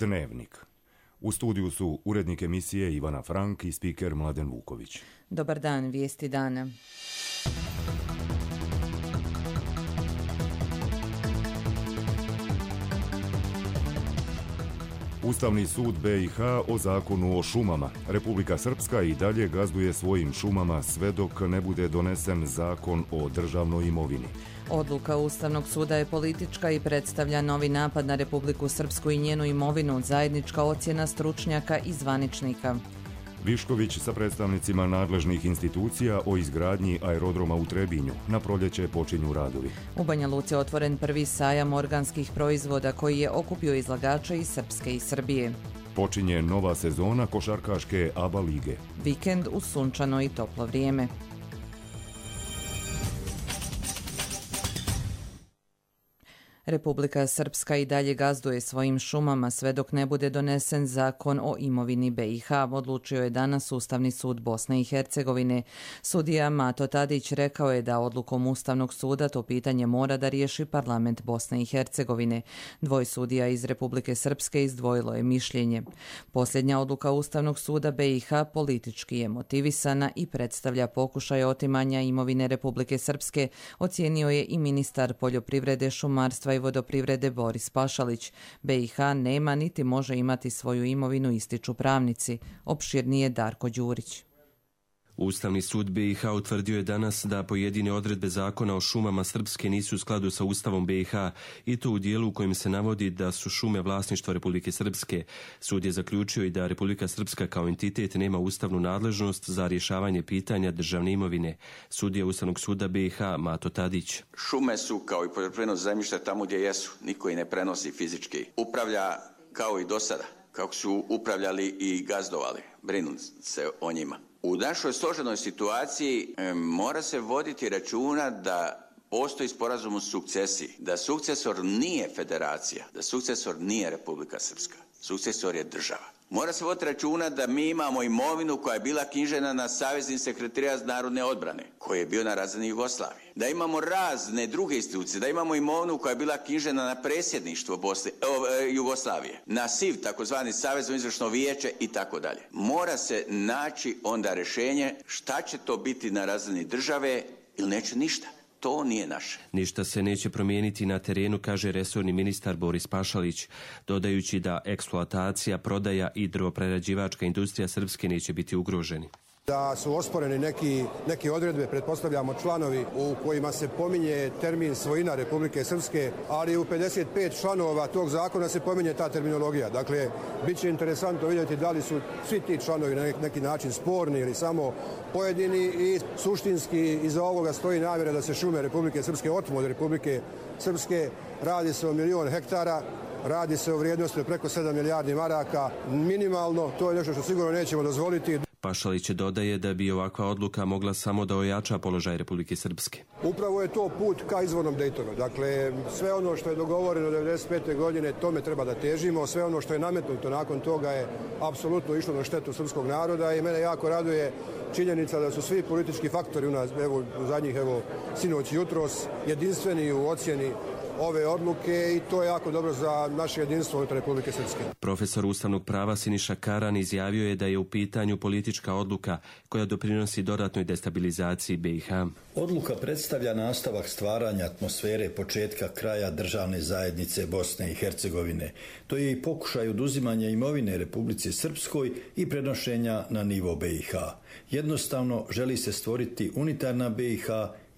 Dnevnik. U studiju su urednik emisije Ivana Frank i spiker Mladen Vuković. Dobar dan, vijesti dana. Ustavni sud BiH o zakonu o šumama. Republika Srpska i dalje gazduje svojim šumama sve dok ne bude donesen zakon o državnoj imovini. Odluka Ustavnog suda je politička i predstavlja novi napad na Republiku Srpsku i njenu imovinu, zajednička ocjena stručnjaka i zvaničnika. Višković sa predstavnicima nadležnih institucija o izgradnji aerodroma u Trebinju. Na proljeće počinju radovi. U Banja Luci je otvoren prvi sajam organskih proizvoda koji je okupio izlagače iz Srpske i Srbije. Počinje nova sezona košarkaške ABA lige. Vikend uz sunčano i toplo vrijeme. Republika Srpska i dalje gazduje svojim šumama sve dok ne bude donesen zakon o imovini BiH, odlučio je danas Ustavni sud Bosne i Hercegovine. Sudija Mato Tadić rekao je da odlukom Ustavnog suda to pitanje mora da riješi parlament Bosne i Hercegovine. Dvoje sudija iz Republike Srpske izdvojilo je mišljenje. Posljednja odluka Ustavnog suda BiH politički je motivisana i predstavlja pokušaj otimanja imovine Republike Srpske, ocijenio je i ministar poljoprivrede, šumarstva i vodoprivrede Boris Pašalić. BiH nema niti može imati svoju imovinu, ističu pravnici. Opširnije Darko Đurić. Ustavni sud BiH utvrdio je danas da pojedine odredbe zakona o šumama Srpske nisu u skladu sa Ustavom BiH i to u dijelu u kojem se navodi da su šume vlasništvo Republike Srpske. Sud je zaključio i da Republika Srpska kao entitet nema ustavnu nadležnost za rješavanje pitanja državne imovine. Sudija Ustavnog suda BiH Mato Tadić. Šume su kao i poljoprivredno zemljište tamo gdje jesu. Niko ih ne prenosi fizički. Upravlja kao i do sada, kako su upravljali i gazdovali. Brinu se o njima. U našoj složenoj situaciji mora se voditi računa da postoji sporazum o sukcesiji, da sukcesor nije federacija, da sukcesor nije Republika Srpska, sukcesor je država. Mora se voditi računa da mi imamo imovinu koja je bila knjižena na Savezni sekretarijat narodne odbrane, koji je bio na razini Jugoslavije. Da imamo razne druge institucije, da imamo imovinu koja je bila knjižena na predsjedništvo Jugoslavije, na SIV, takozvani Savezno izvršno vijeće i tako dalje. Mora se naći onda rješenje šta će to biti na razini države ili neće ništa. To nije naše. Ništa se neće promijeniti na terenu, kaže resorni ministar Boris Pašalić, dodajući da eksploatacija, prodaja i drvoprerađivačka industrija Srpske neće biti ugroženi. Da su osporeni neke odredbe, pretpostavljamo članovi u kojima se pominje termin svojina Republike Srpske, ali u 55 članova tog zakona se pominje ta terminologija. Dakle, bit će interesantno vidjeti da li su svi ti članovi na neki način sporni ili samo pojedini i suštinski iza ovoga stoji namjera da se šume Republike Srpske otmu od Republike Srpske. Radi se o 1.000.000 hektara. Radi se o vrijednosti od preko 7 milijardi maraka. Minimalno, to je nešto što sigurno nećemo dozvoliti. Pašalić dodaje da bi ovakva odluka mogla samo da ojača položaj Republike Srpske. Upravo je to put ka izvornom Dejtonu. Dakle, sve ono što je dogovoreno 1995. godine, tome treba da težimo. Sve ono što je nametnuto nakon toga je apsolutno išlo na štetu srpskog naroda i mene jako raduje činjenica da su svi politički faktori u nas, u zadnjih, sinoć i jutros, jedinstveni u ocjeni ove odluke i to je jako dobro za naše jedinstvo unutar Republike Srpske. Profesor ustavnog prava Siniša Karan izjavio je da je u pitanju politička odluka koja doprinosi dodatnoj destabilizaciji BiH. Odluka predstavlja nastavak stvaranja atmosfere početka kraja državne zajednice Bosne i Hercegovine. To je i pokušaj oduzimanja imovine Republici Srpskoj i prenošenja na nivo BiH. Jednostavno želi se stvoriti unitarna BiH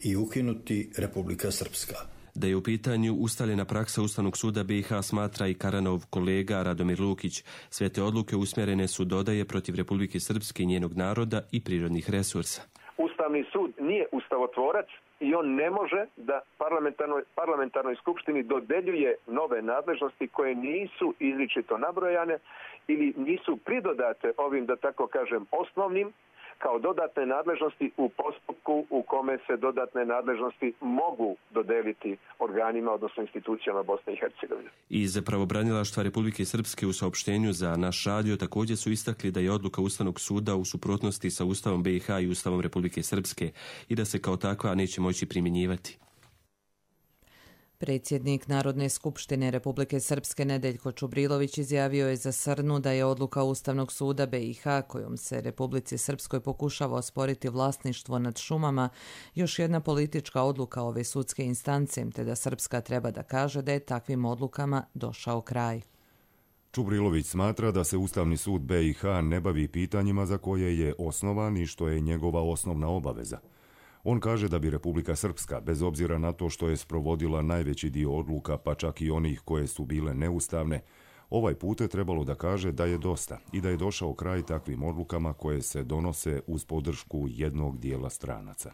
i ukinuti Republika Srpska. Da je u pitanju ustaljena praksa Ustavnog suda BiH smatra i Karanov kolega Radomir Lukić. Sve te odluke usmjerene su, dodaje, protiv Republike Srpske i njenog naroda i prirodnih resursa. Ustavni sud nije ustavotvorac i on ne može da parlamentarnoj skupštini dodeljuje nove nadležnosti koje nisu izričito nabrojane ili nisu pridodate ovim, da tako kažem, osnovnim, kao dodatne nadležnosti u postupku u kome se dodatne nadležnosti mogu dodeliti organima, odnosno institucijama Bosne i Hercegovine. Iz pravobranilaštva Republike Srpske u saopštenju za naš radio također su istakli da je odluka Ustavnog suda u suprotnosti sa Ustavom BiH i Ustavom Republike Srpske i da se kao takva neće moći primjenjivati. Predsjednik Narodne skupštine Republike Srpske Nedeljko Čubrilović izjavio je za Srnu da je odluka Ustavnog suda BiH kojom se Republici Srpskoj pokušava osporiti vlasništvo nad šumama još jedna politička odluka ove sudske instance, te da Srpska treba da kaže da je takvim odlukama došao kraj. Čubrilović smatra da se Ustavni sud BiH ne bavi pitanjima za koje je osnovan i što je njegova osnovna obaveza. On kaže da bi Republika Srpska, bez obzira na to što je sprovodila najveći dio odluka, pa čak i onih koje su bile neustavne, ovaj put je trebalo da kaže da je dosta i da je došao kraj takvim odlukama koje se donose uz podršku jednog dijela stranaca.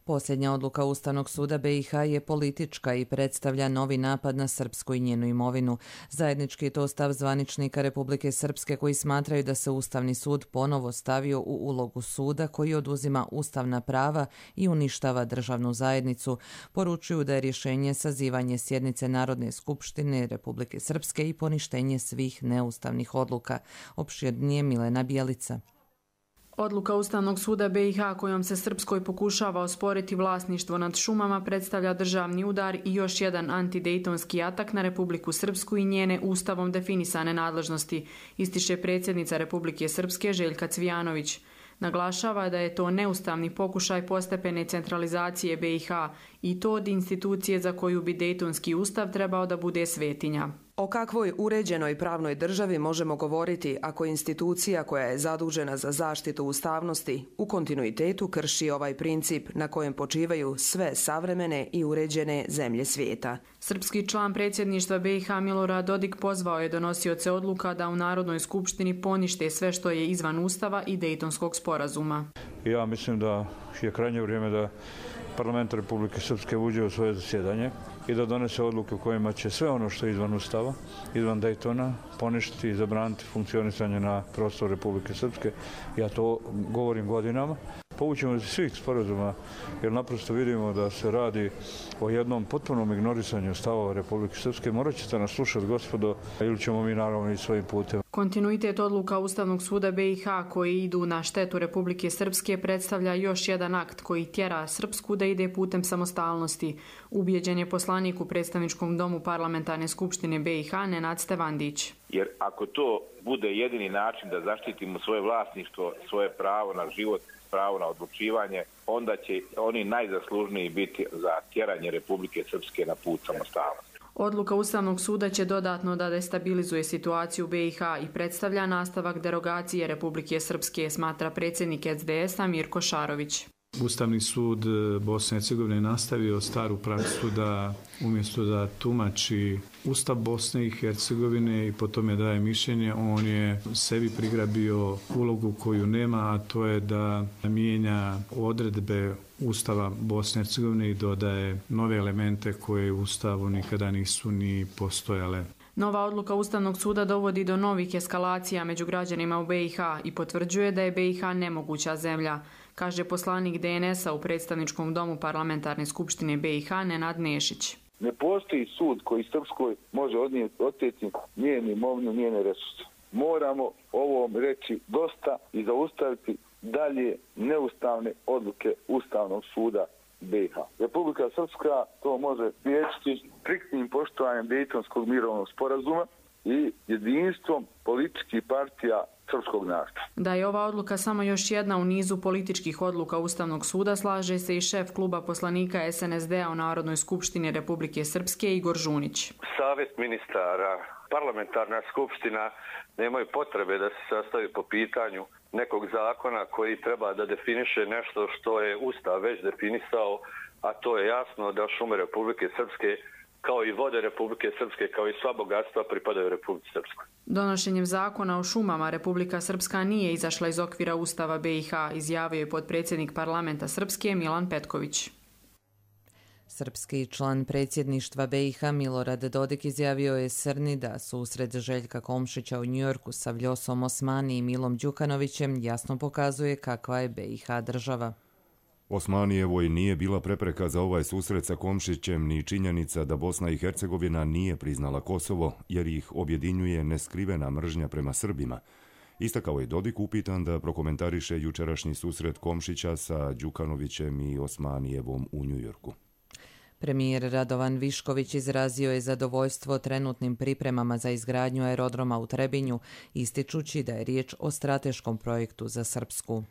Posljednja odluka Ustavnog suda BiH je politička i predstavlja novi napad na Srpsku i njenu imovinu. Zajednički je to stav zvaničnika Republike Srpske koji smatraju da se Ustavni sud ponovo stavio u ulogu suda koji oduzima ustavna prava i uništava državnu zajednicu. Poručuju da je rješenje sazivanje sjednice Narodne skupštine Republike Srpske i poništenje svih neustavnih odluka. Opširnije Milena Bijelica. Odluka Ustavnog suda BiH kojom se Srpskoj pokušava osporiti vlasništvo nad šumama predstavlja državni udar i još jedan antidejtonski atak na Republiku Srpsku i njene ustavom definisane nadležnosti, ističe predsjednica Republike Srpske Željka Cvijanović. Naglašava da je to neustavni pokušaj postepene centralizacije BiH i to od institucije za koju bi Dejtonski ustav trebao da bude svetinja. O kakvoj uređenoj pravnoj državi možemo govoriti ako institucija koja je zadužena za zaštitu ustavnosti u kontinuitetu krši ovaj princip na kojem počivaju sve savremene i uređene zemlje svijeta? Srpski član predsjedništva BiH Milorad Dodik pozvao je donosioce odluka da u Narodnoj skupštini ponište sve što je izvan Ustava i Dejtonskog sporazuma. Ja mislim da je krajnje vrijeme da Parlament Republike Srpske uđe u svoje zasjedanje i da donese odluke u kojima će sve ono što je izvan Ustava, izvan Dejtona, poništiti i zabraniti funkcionisanje na prostoru Republike Srpske. Ja to govorim godinama. Povućemo iz svih sporazuma jer naprosto vidimo da se radi o jednom potpunom ignorisanju stavova Republike Srpske. Morat ćete nas slušati, gospodo, ili ćemo mi naravno i svojim putem. Kontinuitet odluka Ustavnog suda BiH koji idu na štetu Republike Srpske predstavlja još jedan akt koji tjera Srpsku da ide putem samostalnosti. Ubijeđen je poslanik u predstavničkom domu Parlamentarne skupštine BiH Nenad Stevandić. Jer ako to bude jedini način da zaštitimo svoje vlasništvo, svoje pravo na život, pravo na odlučivanje, onda će oni najzaslužniji biti za tjeranje Republike Srpske na put samostalnosti. Odluka Ustavnog suda će dodatno da destabilizuje situaciju u BiH i predstavlja nastavak derogacije Republike Srpske, smatra predsjednik SDS-a Mirko Šarović. Ustavni sud Bosne i Hercegovine nastavio staru praksu da umjesto da tumači Ustav Bosne i Hercegovine i potom je daje mišljenje, on je sebi prigrabio ulogu koju nema, a to je da mijenja odredbe Ustava Bosne i Hercegovine i dodaje nove elemente koje u Ustavu nikada nisu ni postojale. Nova odluka Ustavnog suda dovodi do novih eskalacija među građanima u BiH i potvrđuje da je BiH nemoguća zemlja, kaže poslanik DNS-a u predstavničkom domu Parlamentarne skupštine BiH Nenad Nešić. Ne postoji sud koji Srpskoj može oteti njenu imovinu, njene resurse. Moramo ovom reći dosta i zaustaviti dalje neustavne odluke Ustavnog suda BiH. Republika Srpska to može spriječiti striktnim poštovanjem Dejtonskog mirovnog sporazuma i jedinstvom političkih partija srpskog naroda. Da je ova odluka samo još jedna u nizu političkih odluka Ustavnog suda, slaže se i šef kluba poslanika SNSD-a u Narodnoj skupštini Republike Srpske Igor Žunić. Savjet ministara, parlamentarna skupština nemaju potrebe da se sastavi po pitanju nekog zakona koji treba da definiše nešto što je Ustav već definisao, a to je jasno da šume Republike Srpske kao i vode Republike Srpske, kao i sva bogatstva pripadaju Republici Srpskoj. Donošenjem zakona o šumama Republika Srpska nije izašla iz okvira Ustava BiH, izjavio je potpredsjednik parlamenta Srpske Milan Petković. Srpski član predsjedništva BiH Milorad Dodik izjavio je Srni da susret Željka Komšića u Njujorku sa Vljosom Osmani i Milom Đukanovićem jasno pokazuje kakva je BiH država. Osmanijevoj nije bila prepreka za ovaj susret sa Komšićem ni činjenica da Bosna i Hercegovina nije priznala Kosovo, jer ih objedinjuje neskrivena mržnja prema Srbima. Istakao je Dodik upitan da prokomentariše jučerašnji susret Komšića sa Đukanovićem i Osmanijevom u Njujorku. Premijer Radovan Višković izrazio je zadovoljstvo trenutnim pripremama za izgradnju aerodroma u Trebinju, ističući da je riječ o strateškom projektu za Srpsku.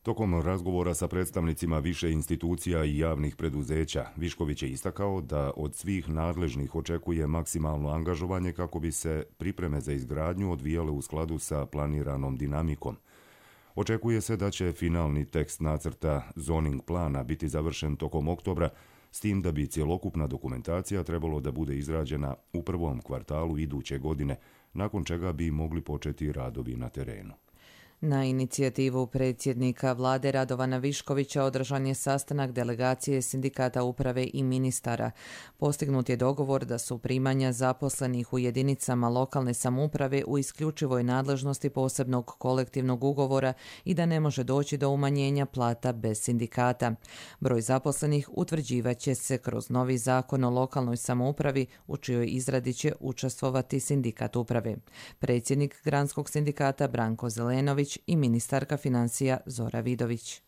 Tokom razgovora sa predstavnicima više institucija i javnih preduzeća, Višković je istakao da od svih nadležnih očekuje maksimalno angažovanje kako bi se pripreme za izgradnju odvijale u skladu sa planiranom dinamikom. Očekuje se da će finalni tekst nacrta zoning plana biti završen tokom oktobra, s tim da bi cjelokupna dokumentacija trebalo da bude izrađena u prvom kvartalu iduće godine, nakon čega bi mogli početi radovi na terenu. Na inicijativu predsjednika vlade Radovana Viškovića održan je sastanak delegacije sindikata uprave i ministara. Postignut je dogovor da su primanja zaposlenih u jedinicama lokalne samouprave u isključivoj nadležnosti posebnog kolektivnog ugovora i da ne može doći do umanjenja plata bez sindikata. Broj zaposlenih utvrđivaće se kroz novi zakon o lokalnoj samoupravi u čijoj izradi će učestvovati sindikat uprave. Predsjednik Granskog sindikata Branko Zelenović i ministarka financija Zora Vidović.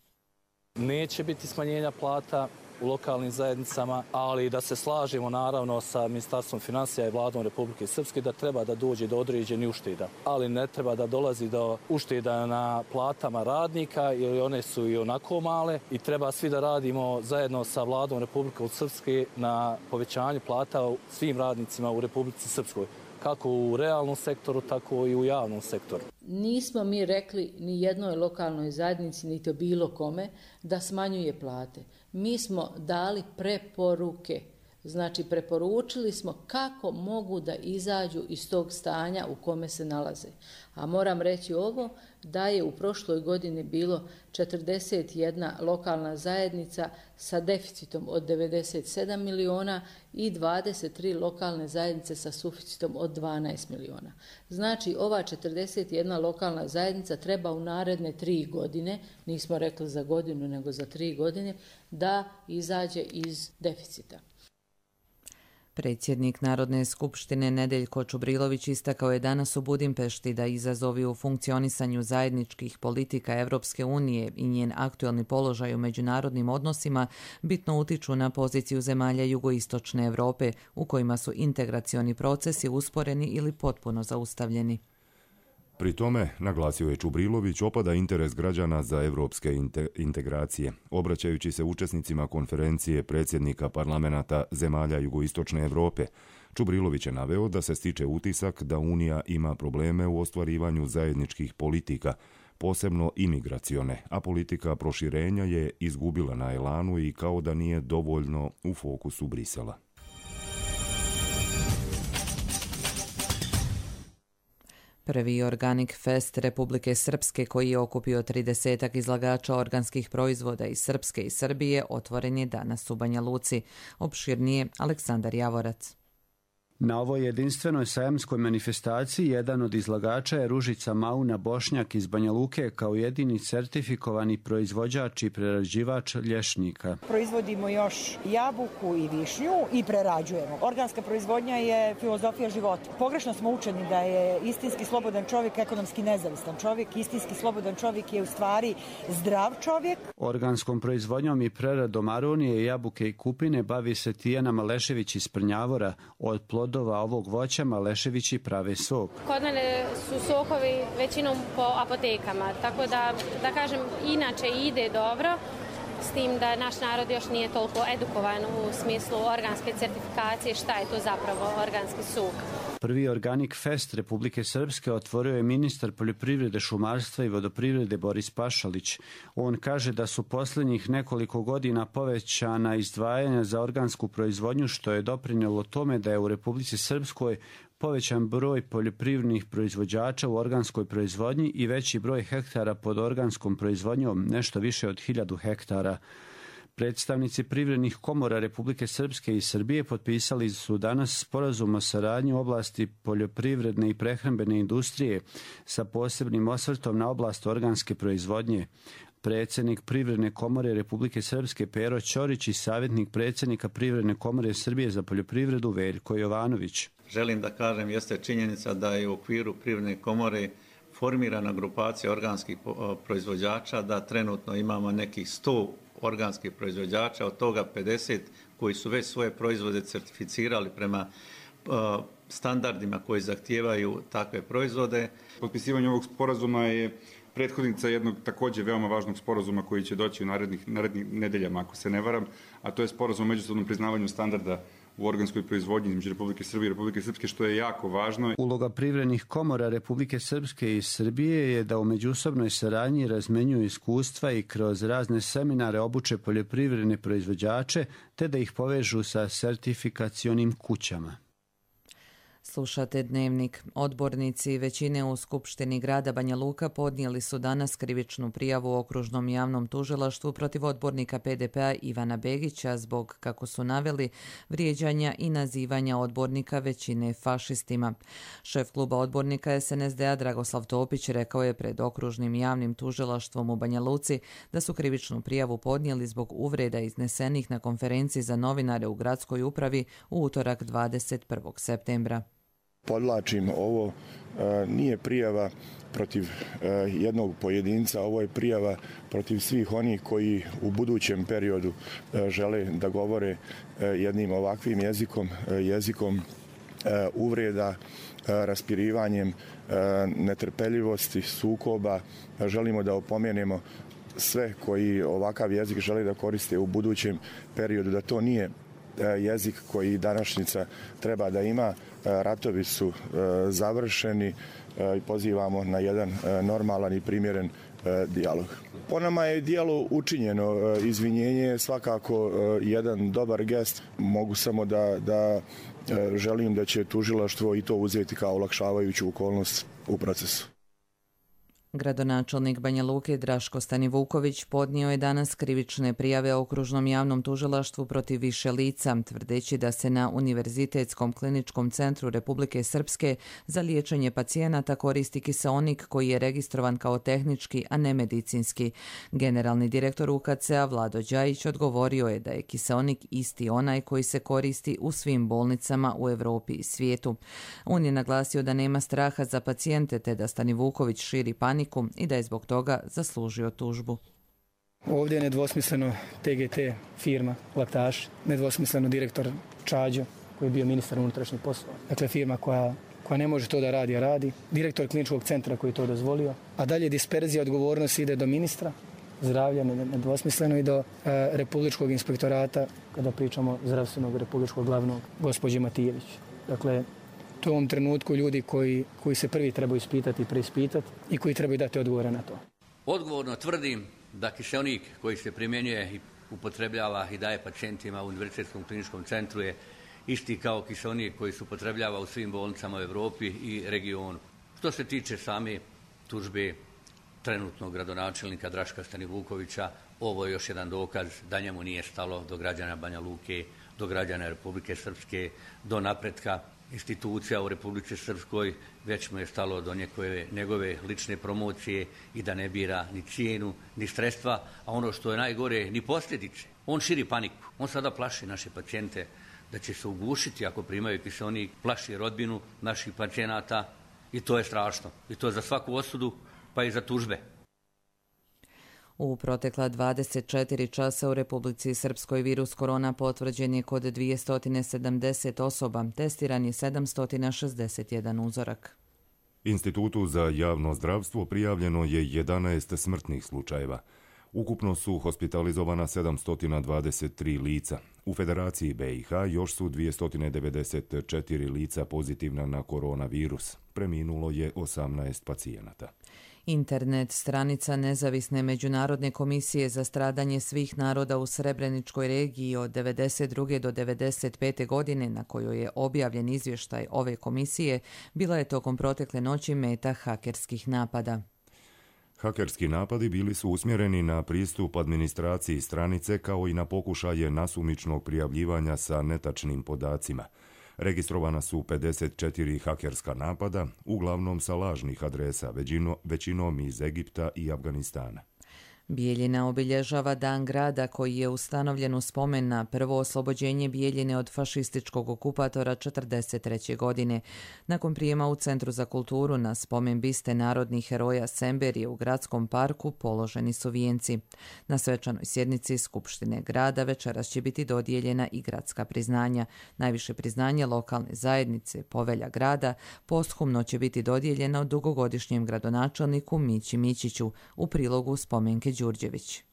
Neće biti smanjenja plata u lokalnim zajednicama, ali da se slažemo naravno sa Ministarstvom financija i Vladom Republike Srpske da treba da dođe do određenih ušteda. Ali ne treba da dolazi do ušteda na platama radnika, jer one su i onako male i treba svi da radimo zajedno sa Vladom Republike Srpske na povećanju plata svim radnicima u Republici Srpskoj, kako u realnom sektoru, tako i u javnom sektoru. Nismo mi rekli ni jednoj lokalnoj zajednici, niti bilo kome, da smanjuje plate. Mi smo dali preporuke. Znači, preporučili smo kako mogu da izađu iz tog stanja u kome se nalaze. A moram reći ovo, da je u prošloj godini bilo 41 lokalna zajednica sa deficitom od 97 miliona i 23 lokalne zajednice sa suficitom od 12 miliona. Znači, ova 41 lokalna zajednica treba u naredne 3 godine, nismo rekli za godinu, nego za 3 godine, da izađe iz deficita. Predsjednik Narodne skupštine Nedeljko Čubrilović istakao je danas u Budimpešti da izazovi u funkcionisanju zajedničkih politika Evropske unije i njen aktuelni položaj u međunarodnim odnosima bitno utiču na poziciju zemalja jugoistočne Europe u kojima su integracioni procesi usporeni ili potpuno zaustavljeni. Pri tome, naglasio je Čubrilović, opada interes građana za evropske integracije. Obraćajući se učesnicima konferencije predsjednika parlamenata zemalja jugoistočne Europe, Čubrilović je naveo da se stiče utisak da Unija ima probleme u ostvarivanju zajedničkih politika, posebno imigracione, a politika proširenja je izgubila na elanu i kao da nije dovoljno u fokusu Brisela. Prvi Organic Fest Republike Srpske, koji je okupio 30-ak izlagača organskih proizvoda iz Srpske i Srbije, otvoren je danas u Banja Luci. Opširnije Aleksandar Javorac. Na ovoj jedinstvenoj sajamskoj manifestaciji jedan od izlagača je Ružica Mauna Bošnjak iz Banja Luke kao jedini certifikovani proizvođač i prerađivač lješnika. Proizvodimo još jabuku i višnju i prerađujemo. Organska proizvodnja je filozofija života. Pogrešno smo učeni da je istinski slobodan čovjek ekonomski nezavistan čovjek. Istinski slobodan čovjek je u stvari zdrav čovjek. Organskom proizvodnjom i preradom aronije, jabuke i kupine bavi se Tijana Malešević iz Prnjavora. Od plodova ovog voća Maleševići prave sok. Kod mene su sokovi većinom po apotekama, tako da kažem, inače ide dobro, s tim da naš narod još nije toliko edukovan u smislu organske certifikacije, šta je to zapravo organski sok. Prvi Organic Fest Republike Srpske otvorio je ministar poljoprivrede, šumarstva i vodoprivrede Boris Pašalić. On kaže da su posljednjih nekoliko godina povećana izdvajanja za organsku proizvodnju, što je doprinijelo tome da je u Republici Srpskoj povećan broj poljoprivrednih proizvođača u organskoj proizvodnji i veći broj hektara pod organskom proizvodnjom, nešto više od 1000 hektara. Predstavnici privrednih komora Republike Srpske i Srbije potpisali su danas sporazum o saradnji u oblasti poljoprivredne i prehrambene industrije sa posebnim osvrtom na oblast organske proizvodnje. Predsjednik Privredne komore Republike Srpske Pero Ćorić i savjetnik predsjednika Privredne komore Srbije za poljoprivredu Veljko Jovanović. Želim da kažem, jeste činjenica da je u okviru Privredne komore formirana grupacija organskih proizvođača, da trenutno imamo nekih 100 organskih proizvođača, od toga 50 koji su već svoje proizvode certificirali prema standardima koji zahtijevaju takve proizvode. Potpisivanje ovog sporazuma je prethodnica jednog također veoma važnog sporazuma koji će doći u narednim nedeljama, ako se ne varam, a to je sporazum o međusobnom priznavanju standarda u organskoj proizvodnji između Republike Srbije i Republike Srpske, što je jako važno. Uloga privrednih komora Republike Srpske i Srbije je da u međusobnoj saradnji razmenjuju iskustva i kroz razne seminare obuče poljoprivredne proizvođače, te da ih povežu sa sertifikacionim kućama. Slušate Dnevnik. Odbornici većine u Skupštini grada Banja Luka podnijeli su danas krivičnu prijavu u Okružnom javnom tužilaštvu protiv odbornika PDP-a Ivana Begića zbog, kako su naveli, vrijeđanja i nazivanja odbornika većine fašistima. Šef kluba odbornika SNSD-a Dragoslav Topić rekao je pred Okružnim javnim tužilaštvom u Banja Luci da su krivičnu prijavu podnijeli zbog uvreda iznesenih na konferenciji za novinare u gradskoj upravi u utorak 21. septembra. Podlačim, ovo nije prijava protiv jednog pojedinca, ovo je prijava protiv svih onih koji u budućem periodu žele da govore jednim ovakvim jezikom uvreda, raspirivanjem netrpeljivosti, sukoba. Želimo da opomenemo sve koji ovakav jezik žele da koriste u budućem periodu, da to nije jezik koji današnjica treba da ima. Ratovi su završeni i pozivamo na jedan normalan i primjeren dijalog. Po nama je dijelo učinjeno. Izvinjenje je svakako jedan dobar gest. Mogu samo da želim da će tužilaštvo i to uzeti kao olakšavajuću okolnost u procesu. Gradonačelnik Banja Luke Draško Stanivuković podnio je danas krivične prijave Okružnom javnom tužilaštvu protiv više lica, tvrdeći da se na Univerzitetskom kliničkom centru Republike Srpske za liječenje pacijenata koristi kiseonik koji je registrovan kao tehnički, a ne medicinski. Generalni direktor UKC-a Vlado Đajić odgovorio je da je kiseonik isti onaj koji se koristi u svim bolnicama u Europi i svijetu. On je naglasio da nema straha za pacijente te da Stanivuković širi paniku i da je zbog toga zaslužio tužbu. Ovdje je nedvosmisleno TGT firma Laktaš, nedvosmisleno direktor Čađo koji je bio ministar unutrašnjih poslova. Dakle, firma koja ne može to da radi, a radi. Direktor kliničkog centra koji je to dozvolio. A dalje disperzija odgovornosti ide do ministra zdravlja, nedvosmisleno, i do Republičkog inspektorata, kada pričamo zdravstvenog republičkog glavnog, gospođe Matijević. Dakle, to u ovom trenutku ljudi koji se prvi trebaju ispitati i preispitati i koji trebaju dati odgovore na to. Odgovorno tvrdim da kiseonik koji se primjenjuje i upotrebljava i daje pacijentima u Univerzitetskom kliničkom centru je isti kao kiseonik koji se upotrebljava u svim bolnicama u Europi i regionu. Što se tiče same tužbe trenutnog gradonačelnika Draška Stanivukovića, ovo je još jedan dokaz da njemu nije stalo do građana Banja Luke, do građana Republike Srpske, do napretka institucija u Republici Srpskoj, već mu je stalo do njegove lične promocije i da ne bira ni cijenu, ni sredstva, a ono što je najgore, ni posljedice. On širi paniku. On sada plaši naše pacijente da će se ugušiti ako primaju kiseonik, plaši rodbinu naših pacijenata i to je strašno. I to je za svaku osudu, pa i za tužbe. U protekla 24 časa u Republici Srpskoj virus korona potvrđen je kod 270 osoba, testiran je 761 uzorak. Institutu za javno zdravstvo prijavljeno je 11 smrtnih slučajeva. Ukupno su hospitalizovana 723 lica. U Federaciji BiH još su 294 lica pozitivna na koronavirus. Preminulo je 18 pacijenata. Internet stranica Nezavisne međunarodne komisije za stradanje svih naroda u Srebreničkoj regiji od 1992. do 1995. godine, na kojoj je objavljen izvještaj ove komisije, bila je tokom protekle noći meta hakerskih napada. Hakerski napadi bili su usmjereni na pristup administraciji stranice kao i na pokušaje nasumičnog prijavljivanja sa netačnim podacima. Registrovana su 54 hakerska napada, uglavnom sa lažnih adresa, većinom iz Egipta i Afganistana. Bijeljina obilježava Dan grada koji je ustanovljen u spomen na prvo oslobođenje Bijeljine od fašističkog okupatora 1943. godine. Nakon prijema u Centru za kulturu na spomen biste narodnih heroja Semberije u gradskom parku položeni su vijenci. Na svečanoj sjednici Skupštine grada večeras će biti dodijeljena i gradska priznanja. Najviše priznanje lokalne zajednice, povelja grada, posthumno će biti dodijeljena od dugogodišnjem gradonačelniku Mići Mićiću u prilogu Spomenke Đurđević.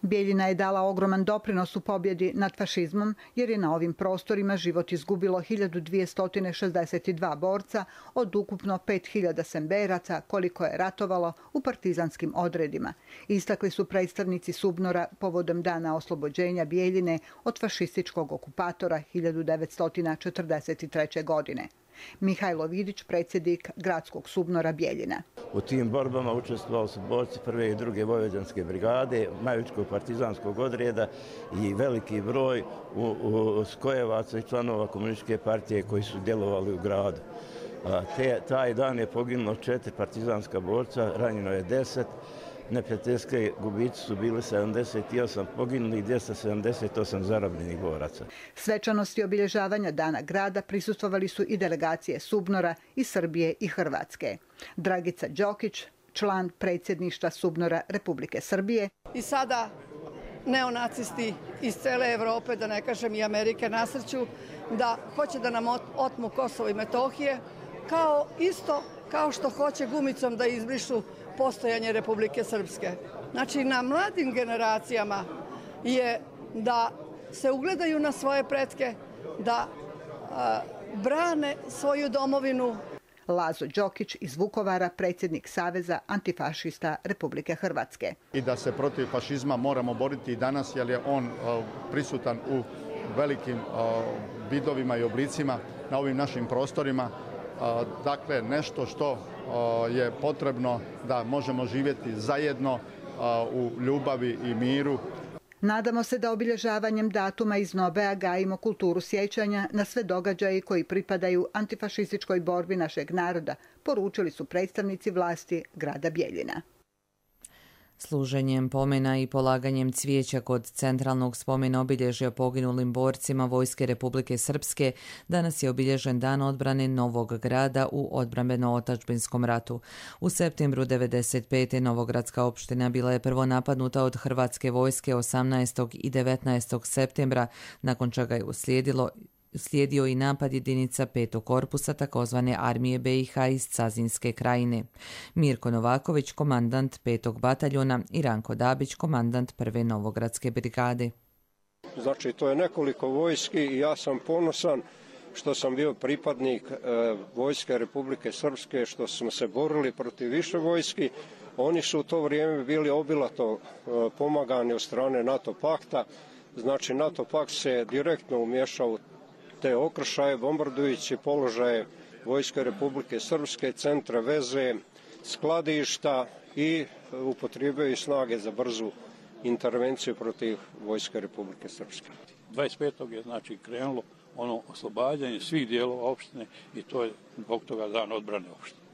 Bijeljina je dala ogroman doprinos u pobjedi nad fašizmom jer je na ovim prostorima život izgubilo 1262 borca od ukupno 5000 semberaca koliko je ratovalo u partizanskim odredima. Istakli su predstavnici SUBNOR-a povodom Dana oslobođenja Bijeljine od fašističkog okupatora 1943. godine. Mihajlo Vidić, predsjednik gradskog SUBNOR-a Bijeljina. U tim borbama učestvovali su borci 1. i 2. Vojvođanske brigade, Majevičkog partizanskog odreda i veliki broj skojevaca i članova komunističke partije koji su djelovali u gradu. Taj dan je poginulo 4 partizanska borca, ranjeno je 10. Neprijateljske gubici su bili 78 poginuli i 278 zarobljenih boraca. Svečanosti obilježavanja Dana grada prisustvovali su i delegacije SUBNOR-a iz Srbije i Hrvatske. Dragica Đokić, član predsjedništva SUBNOR-a Republike Srbije. I sada neonacisti iz cele Evrope, da ne kažem i Amerike, nasrću da hoće da nam otmu Kosovo i Metohije, kao što hoće gumicom da izbrišu postojanje Republike Srpske. Znači, na mladim generacijama je da se ugledaju na svoje pretke, da brane svoju domovinu. Lazo Đokić iz Vukovara, predsjednik Saveza antifašista Republike Hrvatske. I da se protiv fašizma moramo boriti i danas jer je on prisutan u velikim vidovima i oblicima na ovim našim prostorima. Dakle, nešto što je potrebno da možemo živjeti zajedno u ljubavi i miru. Nadamo se da obilježavanjem datuma iz Nobea gajimo kulturu sjećanja na sve događaje koji pripadaju antifašističkoj borbi našeg naroda, poručili su predstavnici vlasti grada Bijeljina. Služenjem pomena i polaganjem cvijeća kod centralnog spomena obilježja poginulim borcima Vojske Republike Srpske danas je obilježen Dan odbrane Novog grada u odbrambeno-otadžbinskom ratu. U septembru 1995. Novogradska opština bila je prvo napadnuta od Hrvatske vojske 18. i 19. septembra, nakon čega je uslijedio i napad jedinica 5. korpusa takozvane armije BiH iz Cazinske krajine. Mirko Novaković, komandant 5. bataljona i Ranko Dabić, komandant 1. Novogradske brigade. Znači, to je nekoliko vojski i ja sam ponosan što sam bio pripadnik Vojske Republike Srpske, što smo se borili protiv više vojski. Oni su u to vrijeme bili obilato pomagani od strane NATO pakta. Znači, NATO pakt se direktno umješao u te okršaje, bombardujući položaje Vojske Republike Srpske, centra veze, skladišta i upotrijebio snage za brzu intervenciju protiv Vojske Republike Srpske. 25. je znači krenulo ono oslobađanje svih dijelova opštine i to je zbog toga Dan odbrane opštine.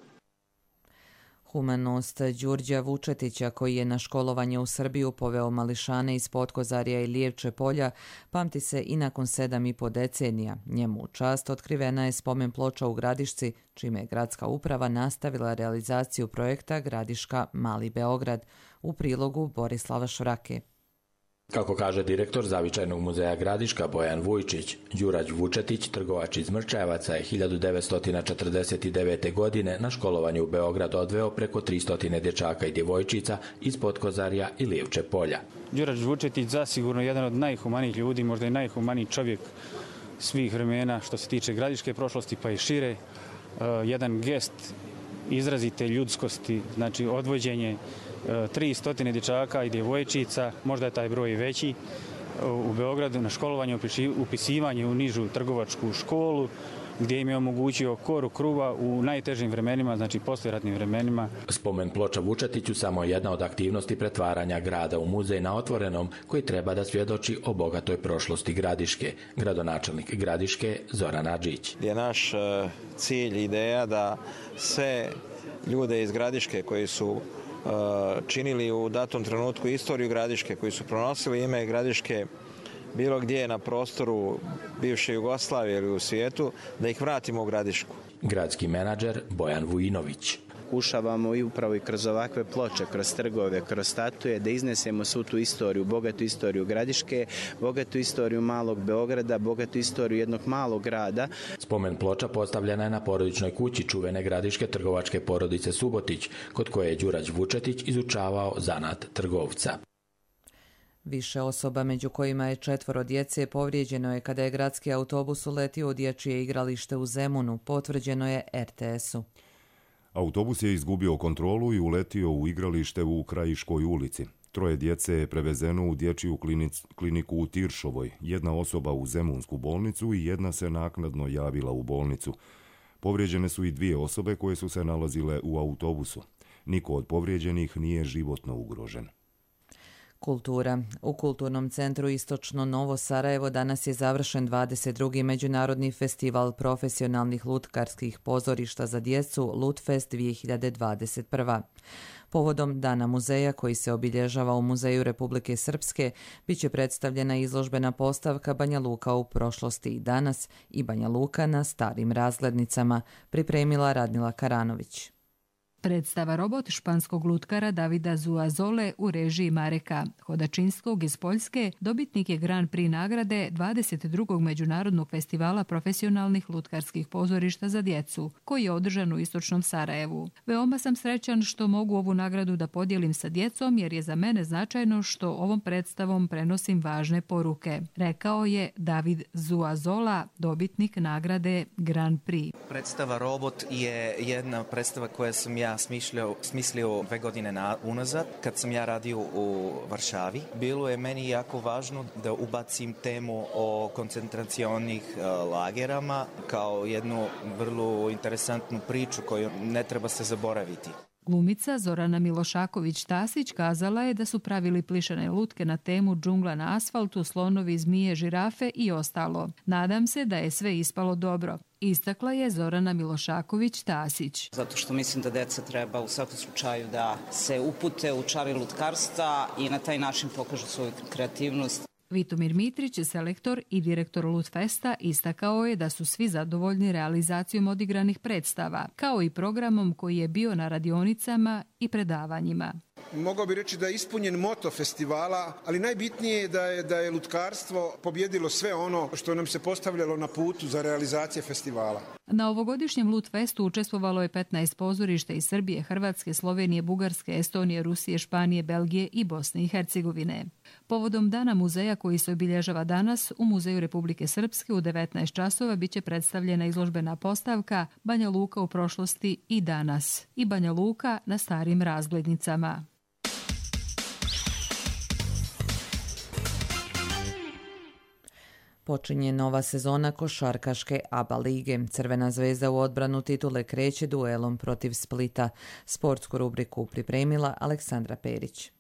Humanost Đurđa Vučetića, koji je na školovanje u Srbiju poveo mališane iz Potkozarja i Lijevče polja, pamti se i nakon 7,5 decenija. Njemu u čast otkrivena je spomen ploča u Gradišci, čime je gradska uprava nastavila realizaciju projekta Gradiška Mali Beograd. U prilogu Borislava Švrake. Kako kaže direktor Zavičajnog muzeja Gradiška Bojan Vujčić, Đurađ Vučetić, trgovač iz Mrčajevaca, je 1949. godine na školovanje u Beograd odveo preko 300 dječaka i djevojčica iz Potkozarja i Lijevče polja. Đurađ Vučetić zasigurno jedan od najhumanijih ljudi, možda i najhumaniji čovjek svih vremena što se tiče gradiške prošlosti pa i šire. Jedan gest izrazite ljudskosti, znači odvođenje 300 dječaka i djevojčica, možda je taj broj i veći, u Beogradu na školovanje, upisivanje u nižu trgovačku školu, gdje im je omogućio koru kruva u najtežim vremenima, znači poslijeratnim vremenima. Spomen ploča Vučetiću samo je jedna od aktivnosti pretvaranja grada u muzej na otvorenom, koji treba da svjedoči o bogatoj prošlosti Gradiške. Gradonačelnik Gradiške Zoran Adžić. Je naš cilj, ideja da sve ljude iz Gradiške koji su činili u datom trenutku istoriju Gradiške, koji su pronosili ime Gradiške bilo gdje na prostoru bivše Jugoslavije ili u svijetu, da ih vratimo u Gradišku. Gradski menadžer Bojan Vujinović. Pokušavamo i upravo i kroz ovakve ploče, kroz trgove, kroz statuje da iznesemo svu tu istoriju, bogatu istoriju Gradiške, bogatu istoriju malog Beograda, bogatu istoriju jednog malog grada. Spomen ploča postavljena je na porodičnoj kući čuvene gradiške trgovačke porodice Subotić, kod koje je Đurađ Vučetić izučavao zanat trgovca. Više osoba, među kojima je 4 djece, povrijeđeno je kada je gradski autobus uletio u dječje igralište u Zemunu, potvrđeno je RTS-u. Autobus je izgubio kontrolu i uletio u igralište u Krajiškoj ulici. 3 djece je prevezeno u dječju kliniku u Tiršovoj, 1 osoba u Zemunsku bolnicu i 1 se naknadno javila u bolnicu. Povrijeđene su i 2 osobe koje su se nalazile u autobusu. Niko od povrijeđenih nije životno ugrožen. Kultura. U Kulturnom centru Istočno Novo Sarajevo danas je završen 22. Međunarodni festival profesionalnih lutkarskih pozorišta za djecu Lutfest 2021. Povodom Dana muzeja koji se obilježava u Muzeju Republike Srpske, bit će predstavljena izložbena postavka Banja Luka u prošlosti i danas i Banja Luka na starim razglednicama, pripremila Radmila Karanović. Predstava Robot španskog lutkara Davida Zuazole u režiji Mareka Hodačinskog iz Poljske dobitnik je Grand Prix nagrade 22. Međunarodnog festivala profesionalnih lutkarskih pozorišta za djecu, koji je održan u Istočnom Sarajevu. Veoma sam srećan što mogu ovu nagradu da podijelim sa djecom, jer je za mene značajno što ovom predstavom prenosim važne poruke, rekao je David Zuazola, dobitnik nagrade Grand Prix. Predstava Robot je jedna predstava koja sam ja smislio 2 godine unazad, kad sam ja radio u Varšavi. Bilo je meni jako važno da ubacim temu o koncentracionih lagerama kao jednu vrlo interesantnu priču koju ne treba se zaboraviti. Glumica Zorana Milošaković-Tasić kazala je da su pravili plišane lutke na temu džungla na asfaltu, slonovi, zmije, žirafe i ostalo. Nadam se da je sve ispalo dobro, istakla je Zorana Milošaković-Tasić. Zato što mislim da deca treba u svakom slučaju da se upute u čari lutkarstva i na taj način pokažu svoju kreativnost. Vitomir Mitrić, selektor i direktor Lutfesta, istakao je da su svi zadovoljni realizacijom odigranih predstava, kao i programom koji je bio na radionicama i predavanjima. Mogao bi reći da je ispunjen moto festivala, ali najbitnije je da je lutkarstvo pobjedilo sve ono što nam se postavljalo na putu za realizacije festivala. Na ovogodišnjem Lutfestu učestvovalo je 15 pozorišta iz Srbije, Hrvatske, Slovenije, Bugarske, Estonije, Rusije, Španije, Belgije i Bosne i Hercegovine. Povodom Dana muzeja koji se obilježava danas, u Muzeju Republike Srpske u 19 časova biće predstavljena izložbena postavka Banja Luka u prošlosti i danas i Banja Luka na starim razglednicama. Počinje nova sezona košarkaške ABA lige. Crvena zvezda u odbranu titule kreće duelom protiv Splita. Sportsku rubriku pripremila Aleksandra Perić.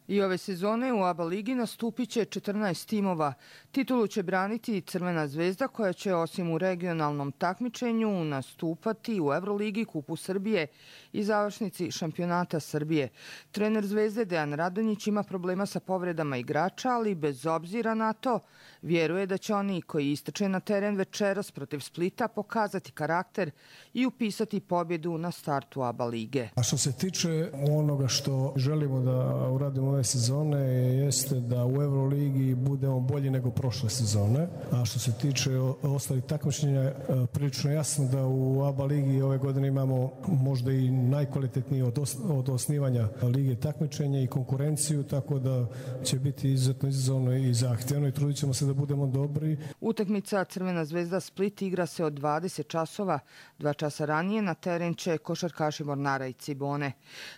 I ove sezone u ABA ligi nastupit će 14 timova. Titulu će braniti Crvena zvezda koja će osim u regionalnom takmičenju nastupati u Euroligi, Kupu Srbije i završnici šampionata Srbije. Trener Zvezde Dejan Radonjić ima problema sa povredama igrača, ali bez obzira na to vjeruje da će oni koji istrče na teren večeras protiv Splita pokazati karakter i upisati pobjedu na startu ABA lige. A što se tiče onoga što želimo da uradimo ove sezone jeste da u Euroligi budemo bolji nego prošle sezone. A što se tiče ostalih takmičenja, prilično jasno da u ABA ligi ove godine imamo možda i najkvalitetniji od osnivanja lige takmičenja i konkurenciju, tako da će biti izuzetno izazovno i zahtjevno i trudit ćemo se da budemo dobri. Utakmica Crvena zvezda Split igra se od 20 časova. 2 časa ranije na teren će košarkaši Mornara i Cibone.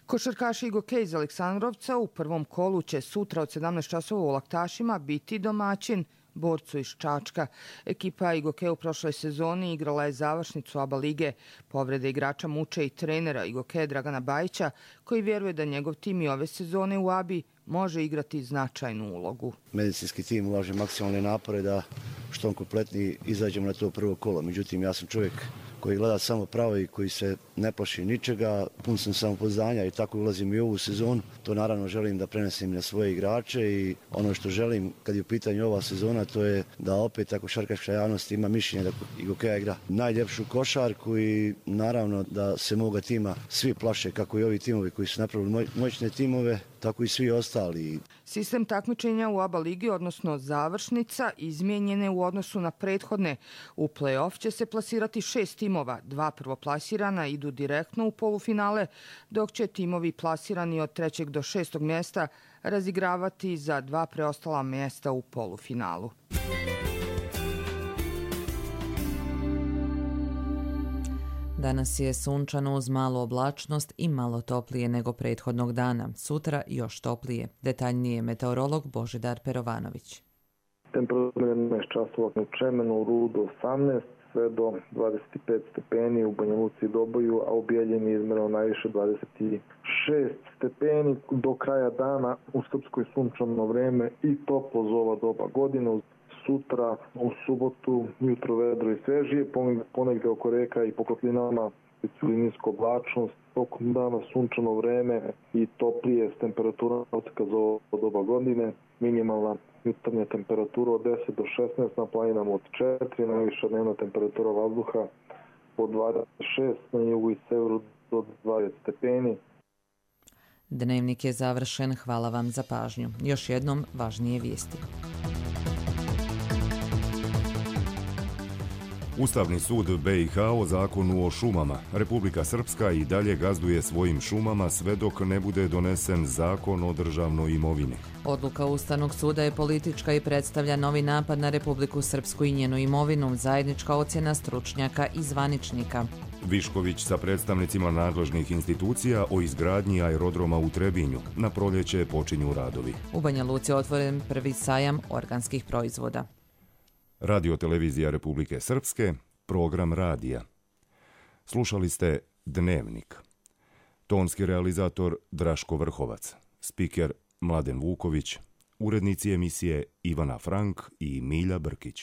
Košarkaši Igokej iz Aleksandrovca u prvom kolu će sutra od 17 časova u Laktašima biti domaćin Borcu iz Čačka. Ekipa Igokeja u prošloj sezoni igrala je završnicu ABA lige. Povrede igrača muče i trenera Igokeja Dragana Bajića, koji vjeruje da njegov tim i ove sezone u ABI može igrati značajnu ulogu. Medicinski tim ulaže maksimalne napore da što kompletni izađemo na to prvo kolo. Međutim, ja sam čovjek koji gleda samo pravo i koji se ne plaši ničega, pun sam samopouzdanja i tako ulazim i u ovu sezonu. To naravno želim da prenesem na svoje igrače i ono što želim kad je u pitanju ova sezona, to je da opet ako košarkaška javnost ima mišljenje da Igokeja igra najljepšu košarku i naravno da se moga tima svi plaše, kako i ovi timovi koji su napravili moćne timove, tako i svi ostali. Sistem takmičenja u ABA ligi, odnosno završnica, izmijenjene u odnosu na prethodne. U play-off će se plasirati 6 timova. 2 prvoplasirana idu direktno u polufinale, dok će timovi plasirani od 3. do 6. mjesta razigravati za 2 preostala mjesta u polufinalu. Danas je sunčano uz malu oblačnost i malo toplije nego prethodnog dana. Sutra još toplije. Detaljnije meteorolog Božidar Perovanović. Temperatura 11 časova u Čemenu, u Rudu 18, sve do 25 stepeni, u Banja Luci i Doboju, a u Bijeljini izmereno najviše 26 stepeni. Do kraja dana u Srpskoj sunčano vreme i toplo za ova doba godine. Sutra, u subotu, jutro vedro i svežije, ponegde oko reka i po kotlinama nisko oblačnost, tokom dana sunčano vreme i toplije s temperaturama za ovo doba godine. Minimalna jutarnja temperatura od 10 do 16, na planinama od 4, najviša dnevna temperatura vazduha od 26, na jugu i severu do 20 stepeni. Dnevnik je završen, hvala vam za pažnju. Još jednom važnije vijesti. Ustavni sud BiH o zakonu o šumama. Republika Srpska i dalje gazduje svojim šumama sve dok ne bude donesen zakon o državnoj imovini. Odluka Ustavnog suda je politička i predstavlja novi napad na Republiku Srpsku i njenu imovinu, zajednička ocjena stručnjaka i zvaničnika. Višković sa predstavnicima nadležnih institucija o izgradnji aerodroma u Trebinju. Na proljeće počinju radovi. U Banja Luci je otvoren prvi sajam organskih proizvoda. Radio televizija Republike Srpske, program radija. Slušali ste Dnevnik. Tonski realizator Draško Vrhovac, spiker Mladen Vuković, urednici emisije Ivana Frank i Milja Brkić.